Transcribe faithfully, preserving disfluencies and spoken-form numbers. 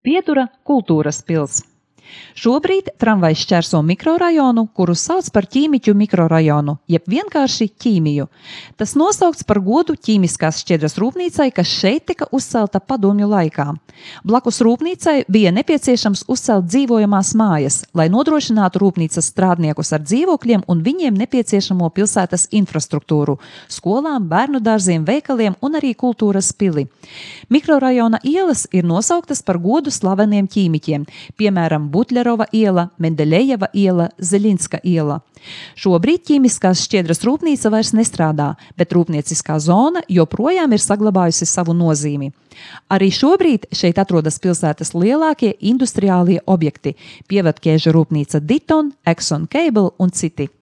Piedura kultūras pils. Šobrīd tramvajs šķērso mikrorajonu, kuru sauc par ķīmiķu mikrorajonu, jeb vienkārši ķīmiju. Tas nosaukts par godu ķīmiskās šķiedras rūpnīcai, kas šeit tika uzcelta padomju laikā. Blakus rūpnīcai bija nepieciešams uzcelt dzīvojamās mājas, lai nodrošinātu rūpnīcas strādniekus ar dzīvokļiem un viņiem nepieciešamo pilsētas infrastruktūru – skolām, bērnu dārziem, veikaliem un arī kultūras pili. Mikrorajona ielas ir nosauktas par godu slaveniem ķīmiķiem, piemēram, Butļerova iela, Mendeļejeva iela, Zeļinska iela. Šobrīd ķīmiskās šķiedras rūpnīca vairs nestrādā, bet rūpnieciskā zona joprojām ir saglabājusi savu nozīmi. Arī šobrīd šeit atrodas pilsētas lielākie industriālie objekti – Pievadķēžu rūpnīca Diton, Exxon Cable un citi.